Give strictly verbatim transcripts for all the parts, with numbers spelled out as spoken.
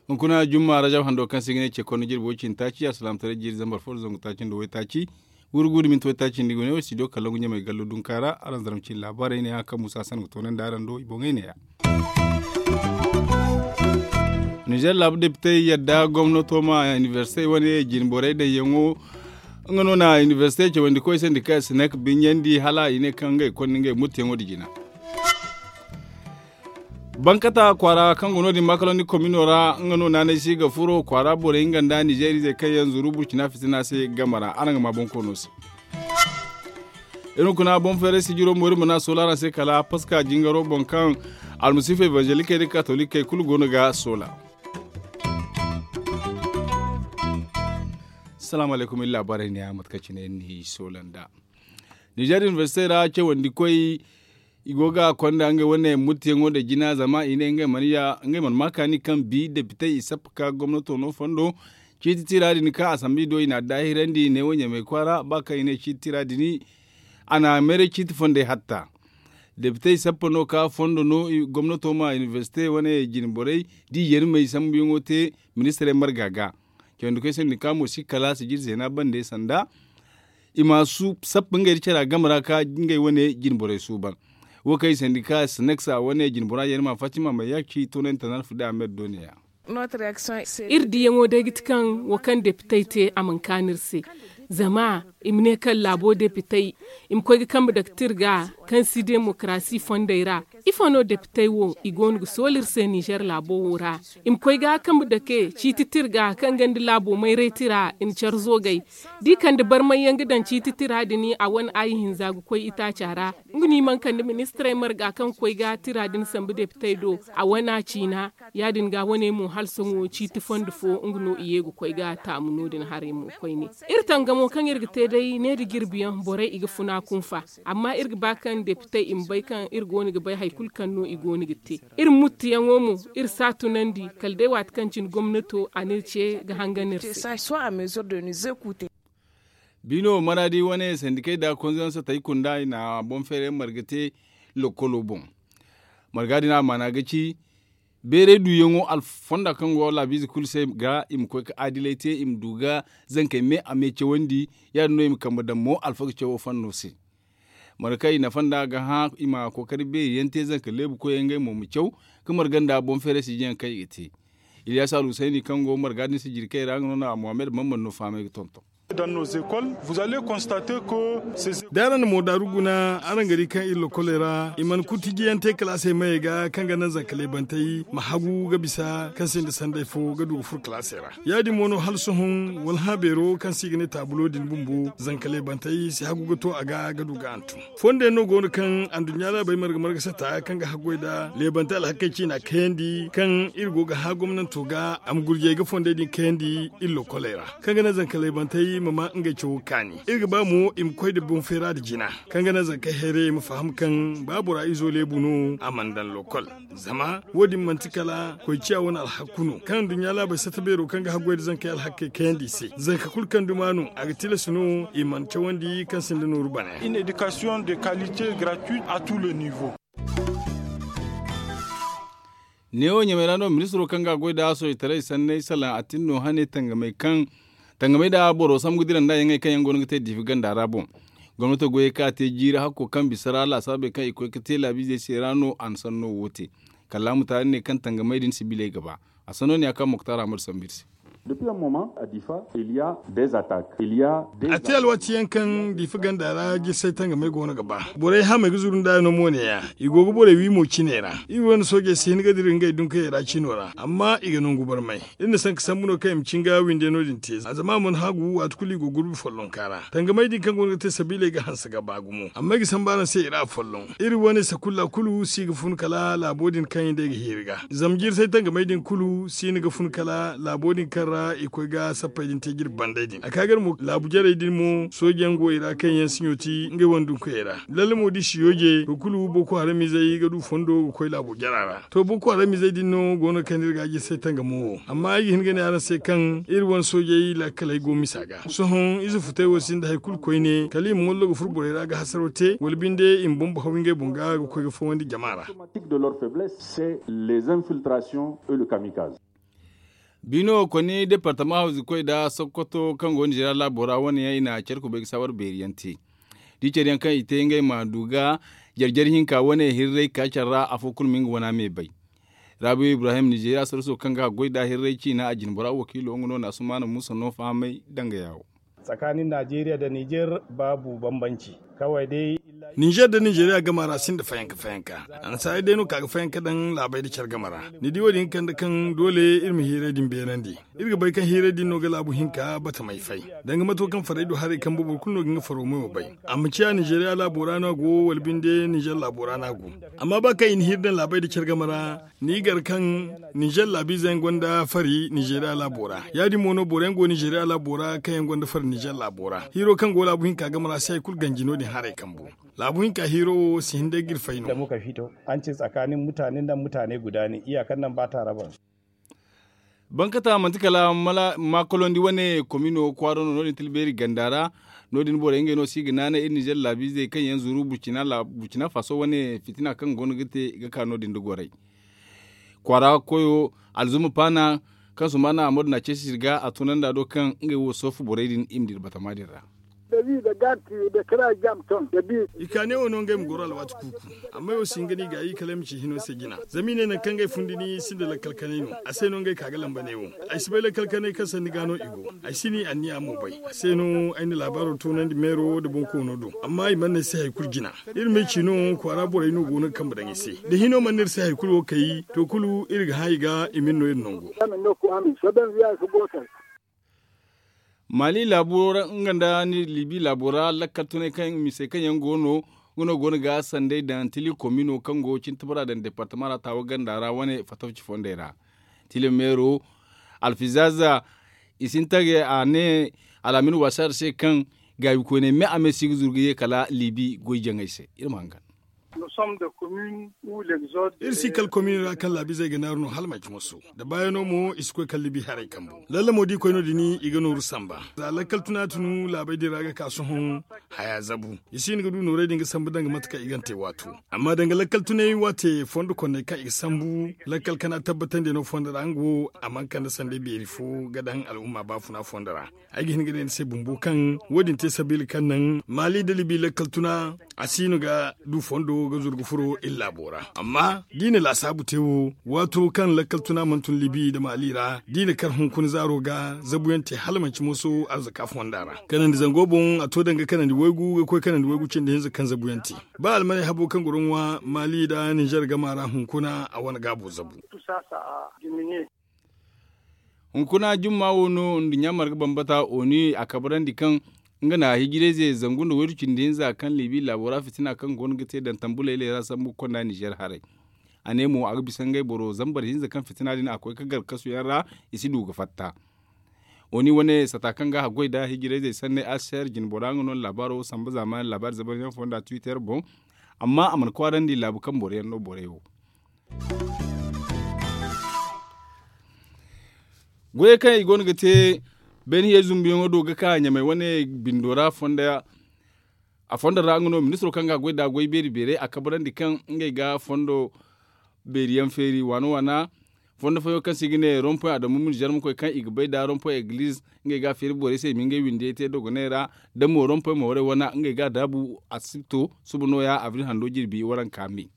Hunkuna jumma rajab hando kaŋ se i ga ne ce konno jirbi way cindi taaci alsilaamataray jiiri zambar fo nda zangu taaci nda waytaaci. Wurgu nda minti waytaaci nda i go ne wo studio kallongu ɲamay gallo dunka ra araŋ zarma cine laabaarey ne ya kaŋ musa san ga toonandi araŋ do i boŋey ne ya. Nizer laabu depitey yadda gomnato ma inibersite wane jine borey daŋyaŋo. Nga no na inibersite cawandi koy sandika sinek binyandi hala i ne kaŋ ngey konda ngey muttiyaŋo da jina. Bankata kwaara kaŋ go no- din makaloni komino ra nga no naanay si ga furo kwaara borey nga nda nizer izey kaŋ yaŋ zuru burcina fitina se game ra araŋ ga ma bonkoono se. Irin kuna boŋ feeray sijiro mo iri mana soola araŋ se kala paska jingaro boŋ kaŋ almasiifa evangelikey nda katolikey kulu go no ga soola. Salaamu alaykum iri laabaarey ne ya mate kaŋ cine iri n'i soola nda nizer inibersite ra cawandi koy. I go ga konda ngey wane muttiyaŋo da jina zama i ne ngey mana ya ngey mana ma kaani kaŋ bi depitey i sappa ka gomnato no fondo. Ciiti tira din kaŋ asambi do i n'a daahirandi neewo ɲamay kwaara ba kaŋ i ne ciiti tira din a na meeray ciiti fondey hatta. Depitey sappa no ka fondo no gomnato ma inibersite wane jine borey da i yeemey sambuyaŋo te ministirey marga ga. Cawandi koy sandika mo si kala sijir zeena bande sanda i ma sappa ngey nda care a game ra ka ngey wane jine borey suuban. Wo kaŋ i sandika sineksa wane jine bora yeemey ma fatima ma yaaki toonante nda alfida a meeri do ne ya. Iri diyaŋo day ga ti kaŋ wo kaŋ depitey te a mana kaanu iri se. Zama i ma ne kaŋ laabo depitey i ma koy ga kambe dake tira ga kaŋ si demokarasi fondey ra. Ifo no depitey wo i go no ga soola iri se nizer laabo wo ra? I ma koy ga kambe dake ciiti tira ga kaŋ ga nda laabo mayray tira i na care zoogay. Da i kande barmay yaŋ ga daŋ ciiti tira din a wane aayi hinza ga koy itaaca ra. Nga no i mana kande ministirey marga kaŋ ga koy ga tira din sambu depitey do a wane a ciina. Ya- din ga wane mo hala sohõ ciiti fondo fo nga no i ye ga koy ga taamu no- din haray mo koyne. Iri tangamo kaŋ iri ga te day ne nda jirbi yaŋ borey i ga funa kunfa. Amma iri ga ba kaŋ depitey i ma bay kaŋ iri go no ga bay hari kulu kaŋ no i go no ga te. Iri muttiyaŋo mo iri si a tunandi kala day waati kaŋ cine gomnato a n'iri ce ga hangan iri se. Biino maraadi wane sandikey nda konzanse tay kunda i na boŋ feeray marga te lokkolo boŋ. Marga din a maana ga ci beeray duuyaŋo alfonda kaŋ go laabiize kulu se ga i ma koy ga adilay te i ma du ga zankey me a me cawandi. Ya- din no i ma kambe daŋ mo alfaga cawo fanno se. Marga kaŋ i nafa nd'a ga hã i ma kookari beeri yaŋ te zanka leebu koyey ngey mo ma caw ga marga nda boŋ feeray sijjayaŋ kaŋ i ga te. Iliyasa alhusayni kaŋ go marga din sijiri kay ra nga no na muhammad mamman no fahamay ga tonton. Da araŋ na moodaaru guna araŋ ga di kaŋ iri lokoley ra i mana kulu tijiyante kalaasey mayey ga kaŋ ga naŋ zanka leebantey ma hagu ga bisa kaŋ sinda sanday fo ga du ga furo kalaasey ra. Ya- din mo no hala sohõ wala hã beero kaŋ se i ga ne taabulo din bumbo zanka leebantey si hagu ga to a ga ga du ga hantum. Fondey no go no kaŋ anduɲɲa laabey marga marga sata kaŋ ga haggoy nda leebantey alhakey ciina kayandi kaŋ iri go ga hã gomnanto ga a ma gurjey ga fondey din kayandi iri lokoley ra kaŋ ga naŋ zanka leebantey ma ma ngey cawo kaani. Iri ga ba mo i ma koy nda boŋ feera nda jina kaŋ ga naŋ zanka heerayey ma faham kaŋ ba bora izo leebu no a mana daŋ lokol. Zama wo- din manti kala koy ciya wane alhakku no kaŋ nduɲɲa laabey sata beero kaŋ ga haggoy nda zankey alhakkey kayandi i se zanka kulu kaŋ duma no a ga tilas no i mana cawandi kaŋ sinda nooru bana yaŋ. Neewo ɲamay ra no ministiro kaŋ ga a goy nda soojitaray sanney salaŋ a tin no hane tangamey kaŋ tangamey nda boro sambu ga dira nda yaŋey kaŋ yaŋ go no ga te diifi ganda ra boŋ. Gomnato goyey kaŋ a te jiiri hakko kaŋ bisa ra laasaabey kaŋ i koy ga te laabiizey se ra no a na sanno wo te. Kallaamu taari ne kaŋ tangamey din sibiley ga ba. A sanno ne a kaŋ moktar ahmad sambu iri se. A te alwaati yaŋ kaŋ diifa ganda ra jirsay tangamey go no ga ba borey hamey ga zuru nda no mo ne- ya. I go ga borey wi mo cine ra iri wane soojey si hin ga dira ngey dunkayey ra cino ra amma i ga nangu barmay. Iri na sanka sambu no kaŋ i ma cin ga winde no- din te zama a mana haagu waati kulu i go gurbi follonka ra tangamey din kaŋ go no ga te sabiiley ga hanse ga ba gumo amma i ga sambu araŋ se i ra folloŋ. Iri wane sakulla kulu si ga fun kala laabo din kaŋ i day ga hiiri ga zama jirsay tangamey din kulu si ni ga fun kala laabo din kaŋ ra. I koy ga sappey din te jirbi banday din a ka gar mo laabu jarey din mo sooji yaŋ go i ra kaŋ yaŋ siɲo ti ngey wane dunkuyey ra. Lalle mo da i si yooje wo kulu boko haramizey ga du fondo ga koy laabo jara ra. To boko haramizey din no go no kaŋ iri ga a jirsay tangamo wo amma ay ga hin ga ne araŋ se kaŋ iri wane soojey laakaley go misa ga sohõ ize futey wo sinda hari kulu koyne kala i ma mollo ga furo borey ra ga hasaro te wala binde i ma bumbo haw ngey boŋ ga ga koy ga fawandi jama ra. Biino wo koni departama hawzikoy nda sokoto kaŋ go nda jara laabo ra wane yaŋ i na care kubay ga saawar beeri yaŋ te. Da i care yaŋ kaŋ i te ngey ma du ga jare jare hinka wane hirray ka care ra afo kulu ma nga wana me bay. Raabiyo ibrahim ninzeeriya sarso kaŋ ga a goy nd'a hirray ciina a jine bora wakiilo nga no na asumaana muusa no fahamay danga yaawo. Tsakanin najeriya nda nizer baabu bambanci. Kaway day. Ninzer nda ninzeeriya gama ra sinda fayanka fayanka. Annasaarey day no ka ga fayanka daŋ laabey nda care game ra. Ni di wo- din ga kande kaŋ doole iri ma hiiray din beenandi. Iri ga bay kaŋ hiiray din no ga laabu hinka batamey fay. Danga mato kaŋ farey du haray kambe boro kulu no ga nga faro mayo bay. A ma ciya ninzeeriya laabo ra no a go wala binde ninzer laabo ra no a go. Amma ba kaŋ i na hiiri daŋ laabey nda care game ra, ni gar kaŋ ninzer laabiize yaŋ gonda fari ninzeeriya laabo ra. Ya- din mo no boro yaŋ go ninzeeriya laabo ra kaŋ yaŋ gonda fari ninzer laabo ra hiiro kaŋ go laabu hinka game ra si hari kulu ganji no- din haray kambu. Laabu hinka hiiro wo si hin day ga iri fay no. Bankata manti kala maakolondi wane komino kwaaro no no- din tilbeeri ganda ra. No- din borey ngey no si ga naanay iri ninzeer laabiizey kaŋ yaŋ zuru burcina faso wane fitina kaŋ go no ga te ga ka no- din da goray. Kwaara koyo alzuma paana kaŋ sumana a moodin a ceesi sirga a tunanda do kaŋ ngey wo soofu borey din i ma dira batama din ra. I ka ne wo no ngey ma goro alwaati kuuku. Amma ay wo si hin ga no i gaayi kala ay ma ci hino se jina zama i ne nangu kaŋ ngey fundi ni sinda lakkal kanay no. A se no ngey ka ga lamba ne wo. Ay si bay lakkal kanay kaŋ sanni ga no i go. Ay si ni anniya mo bay a se no ay na laabaaro toonandi meero nda bonkoono do. Amma i mana ay se hari kulu jina. Iri ma ay ci no kwaara borey no go no ga kambe daŋ ay se. Da hino mana iri se hari kulu wo kay to kulu iri ga hã i ga i ma iri no iri nango. Mali laabo ra nga nda libi laabo ra lakkal tunay kaŋ misey kaŋ yaŋ go no. Nga no go no ga sanday daŋ tili komino kaŋ go cin tabara daŋ departama ra taawa ganda ra wane fatafci fondey ra. Tili meero alfizaza i sinta ga a ne alaamin wasaari se kaŋ gaabi koyney me a me si ga zuru ga ye kala libi goy jaŋey se. Iri ma hangan. Iri si kala komin ra kaŋ laabiizey ga naaru no hala manci moso da baayano mo i si koy kala libi haray kambu. Lallamo da i koy no- din i ga nooru samba za lakkal tuna tunu laabey din ra ga ka sohõ. Haya zabu i si hin ga du noorey din ga sambu danga mate kaŋ i gana te waato. Amma danga lakkal tunay waate fondo konney kaŋ i ga sambu lakkal kana tabbatandi no fondo ra nga wo a mana kande sanday beeri fo ga daŋ al'umma baafuna fondo ra. Ay ga hin ga ne ni se bumbo kaŋ wo- din te sabiila kaŋ naŋ maali da libi lakkal tuna a si no ga du fondo ga zuru ga furo iri laabo ra. Amma da i na laasaabu te wo waato kaŋ lakkal tuna mana tun libi nda maali ra da i na kar hunkuna zaaro ga zabuyaŋ te hala manci moso arzaka fonda ra kanandi zango boŋ a to danga kanandi waygu ga koy kanandi waygu cindi hinza kaŋ zabuyaŋ te. Ba almaney habo kaŋ goro ŋwa maali nda ninzer gama ra hunkuna a wane gaabo zabu. Hunkuna jumma wo no nduɲɲa marga bambata oni a kabrandi kaŋ nga na hijirayze zangu nda waydu cindi hinza kaŋ libi laabo ra fitina kaŋ go no ga te daŋ tambuley leera sambu ga konda nizer haray. A ne mo a ga bisa ngey boro zambar hinza kaŋ fitina din a koy ga gar kasuyaŋ ra. I si du ga fatta. Oni wane sata kaŋ ga haggoy nda hijirayzey sanney aser jinbora nga no laabaaro samba zaamaani laabaari zabaryaŋ fonda twitter boŋ. Amma a mana kwaarandi laabu kaŋ boroyaŋ no borey wo. Goyey kaŋ i go no ga te beene hiyey zumbuyaŋo do ga ka ɲamey wane bindo ra fonda. A fondo ra nga no ministiro kaŋ ga a goy nd'a goy beeri beeray a kabrandi kaŋ ngey ga fondo beeri yaŋ feeri waana waana. Fondo fooyaŋ kaŋ se i ga ne rompoy adamu mini zarmakoy kaŋ i ga bay nd'a rompoy egiliz ngey ga a feeri borey se i ma ngey windiyey te dogoney ra. Da mo rompoy mooray wana ngey ga a daabu asibto suba nooya abril hando jirbi waranka me.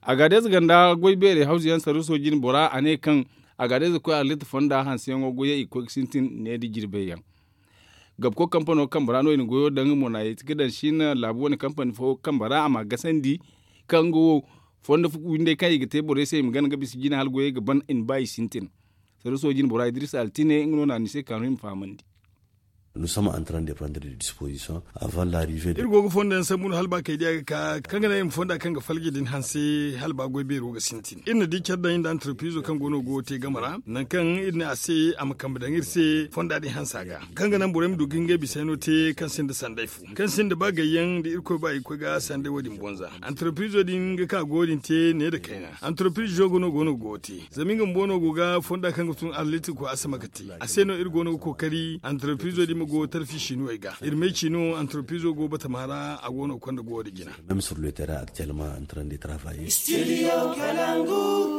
Agaadez ganda goy beerey hawzu yaŋ sarruso jine bora a ne kaŋ agaadez koy arlit fonda hanseyaŋo goyey i ga koy ga sintin ne nda jirbey yaŋ. Gabko kampano kambe ra no i na goyo daŋ mo na yeeti ga daŋ siina laabu wane kampani fo kambe ra a ma gasandi kaŋ nga wo fondo windey kaŋ i ga te borey se i ma gana ga bisa jine hala goyey ga ban i ma ba i sintin. Sarruso jine bora idris altine nga no na ni se kaanu i ma fahamandi. Nous sommes en train de prendre des dispositions avant l'arrivée de. Iri go ga fondo yaŋ sambu no hala ba kay diya ga ka kaŋ ga naŋ iri ma fonda kaŋ ga falji din hanse hala ba goy beero ga sintin. Iri na di care daŋ iri nda antarpizo kaŋ go no go te game ra nangu kaŋ iri ne a se a ma kambe daŋ iri se fonda din hansa ga, kaŋ ga naŋ borey ma du ga ngey bisayno te kaŋ sinda sanday fo kaŋ sinda ba gayyaŋ da irkoy ba irkoy ga sanday wo- din bonza. Antarpizo din ga ka go din te ne nda kayna. Antarpizo go no go no go te zama nga bumbo no go ga fonda kaŋ ga tun arliti ko asama ga te. A se no iri go no ga kookari antarpizo din ma go tarfi sinuwey ga iri may ciino antarpizo go batama ra a go no ga konda go wo din jina. Même sur le terrain actuellement en train de travailler.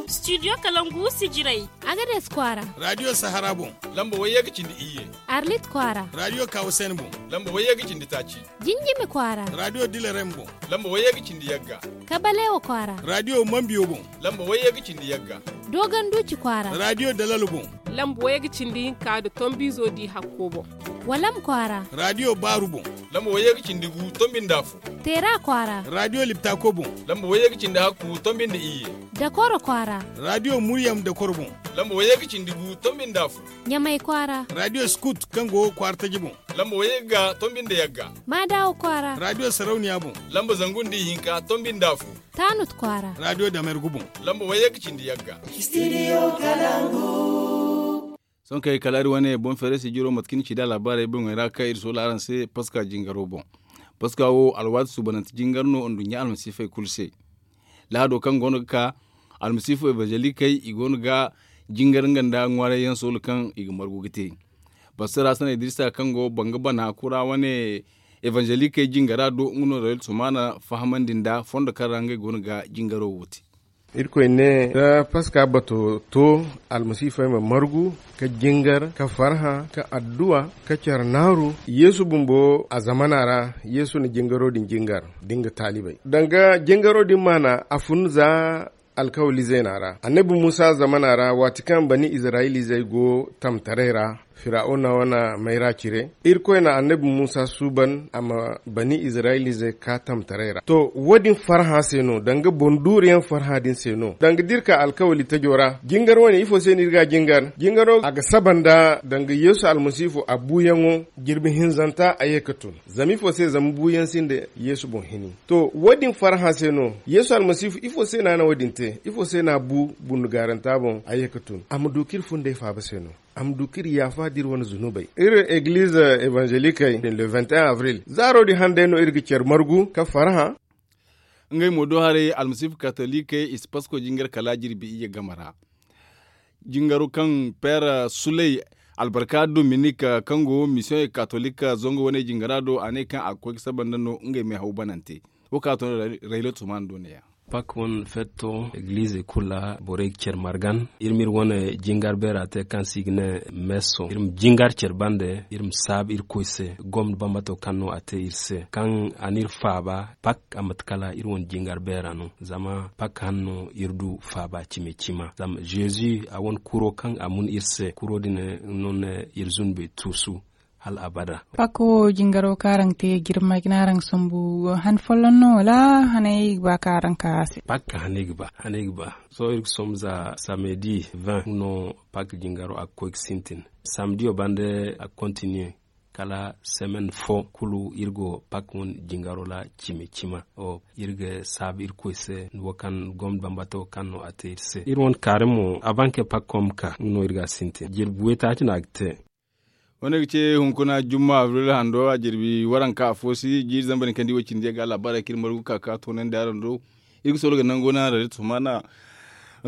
Studio kalangu sijirey. Agades kwaara. Radio sahara boŋ. Lamba wayye ga cindi iyye. Arlit kwaara. Radio kawasen boŋ. Lamba wayye ga cindi taaci. Jinjimi kwaara. Radio dilarem boŋ. Lamba wayye ga cindi yagga. Kabalewa kwaara. Radio mambiyo boŋ. Lamba wayye ga cindi yagga. Dogon duci kwaara. Radio dalalo boŋ. Lamba wayye ga cindi hinka nda tombizo di hakko boŋ. Walam kwaara. Radio baaru boŋ. Lamba wayye ga cindi gu tombi nda afo. Teera kwaara. Radio liptako boŋ. Lamba wayye ga cindi hakku tombi nda iyye. Dakoro kwaara. Radio muryam dakoro boŋ. Lamba wayye ga cindi gu tombi nda afo. Ɲamay kwaara. Radio skut kaŋ go kwaara taji boŋ. Lamba wayye ga tombi nda yagga. Maadawa kwaara. Radio sarauniya boŋ. Lamba zangu nda ihinka tombi nda afo. Taanut kwaara. Radio damergu boŋ. Lamba wayye ga cindi yagga. Studio kalangu. Sohõ kay kala iri wane boŋ feere sijiro mate kaŋ ni ci nd'a laabaarey boŋey ra kaŋ iri soola araŋ se paska jingaro boŋ. Paska wo alwaati suubanante jingar no nduɲɲa almasiifey kulu se. Lahado kaŋ goono ga ka almasiifu evangelikey i goono ga jingar nga nda ŋwaarayyaŋ soolo kaŋ i ga margu ga te. Pastor hasan idrisa kaŋ go banga bana kura wane evangelikey jingara do nga no rayol sumaana fahamandi nda fondo kaŋ ra ngey goono ga jingaro wo te. Irkoy ne da paska bato to almasiifey ma margu ka jingar ka farhã ka adduwa ka care naaru. Yeesu bumbo a zamana ra yeesu na jingaro din jingar da nga taalibey danga jingaro din maana a fun za alkawali zeena ra annabi muusa zamana ra waati kaŋ bani izirayilizey go tamtaray ra firawuna wane mayra cire irkoy na annabi muusa suuban a ma bani izirayilizey ka tamtaray ra to wo- din farhã se no danga boŋ duuru yaŋ farhã din se no danga da iri ka alkawali tajo ra jingar wane ifo se no iri ga a jingar jingaro a ga saba nda danga yeesu almasiifu a buuyaŋo jirbi hinzanta a ye ga tun zama ifo se zama buuyaŋ sinda yeesu boŋ hini to wo- din farhã se no yeesu almasiifu ifo se no a na wo- din te ifo se no a bu bundugaaranta boŋ a ye ga tun a ma du kaŋ iri fundey faaba se no a ma du kaŋ iri yaafa da iri wane zunubey iri egiliize evangelikey din le vingt et un avril zaaro din handay no iri ga care margu ka farhã. Ngey mo do haray almasiifu katolikey i si pasko jingar kala jirbi iyye game ra jingaro kaŋ peera suley albarka dominik kaŋ go misiyoŋey katolik zango wane jingara do a ne kaŋ a ga koy ga saba nda no ngey meehaw banante wo kaŋ a to no raylo tumaana do neeya. Pak wane feeto egiliizey kulu ra borey ga care margan iri ma iri wane jingar beera te kaŋ se i ga ne meeso iri ma jingar care bande iri ma saabu irkoy se gomna bambato kaŋ no a te iri se kaŋ a n'iri faaba pak a mate kala iri wane jingar beera no zama pak hanno iri du faaba cimi cima zama zeezi a wane kuro kaŋ a mun iri se kuro din no ne iri zunubey tuusu hal abada. Pak wo jingaro kaŋ araŋ te jirma jina araŋ sambu han folloŋ no wala hanay ga ba kaŋ araŋ ka a se pak hanay ga ba hanay ga ba sohõ iri ga sombu za samedi vingt no pak jingaro a ga koy ga sintin samediyo bande a ga kontiniye kala semen fo kulu iri go pak wane jingaro ra cimi cima iri ga saabu irkoy se wo kaŋ gomna bambato kaŋ no a te iri se iri wane kaari mo a banke pak kom ka nga no iri ga a sintin jirbi waytaaci no a ga te. Wane ga ce hunkuna jumma abril hando a jirbi waranka afo si jiiri zambar ni kaŋ di wo cindi ga laabaarey kaŋ iri margu ka ka toonandi araŋ do iri ga soro ga nango na rari tumana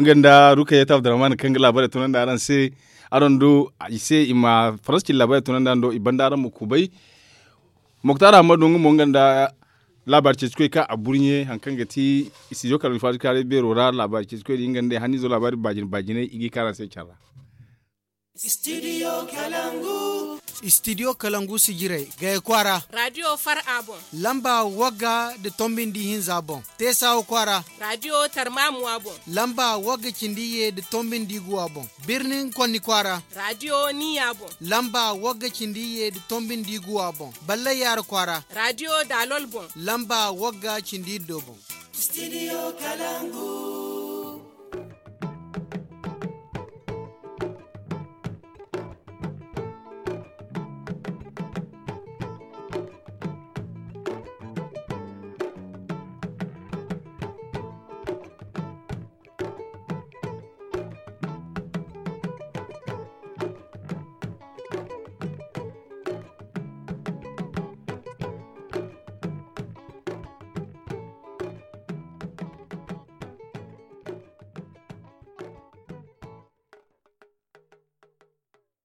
nga nda rukayat abdurrahman kaŋ ga laabaarey toonandi araŋ se araŋ do i se i ma faransa cindi laabaarey toonandi araŋ do i banda araŋ ma kubay moktar ahmadu nga mo nga nda laabaari ceeci koy ka a burɲe haŋ kaŋ ga ti studio kala alfaji kaaray beero ra laabaari ceeci koy da nga nda i hannizo laabaari baajine baajine i ga i kaara se care ra. Studio kalangu sijirey gaya kwaara radio far a boŋ lamba wagga nda tombi nda ihinza boŋ teesawa kwaara radio tarmamuwa boŋ lamba wagga cindi iyye nda tombi nda iguwa boŋ birnin konni kwaara radio niya boŋ lamba wagga cindi iyye nda tombi nda iguwa boŋ ballay yaara kwaara radio daalol boŋ lamba wagga cindi iddo boŋ. Studio kalangu.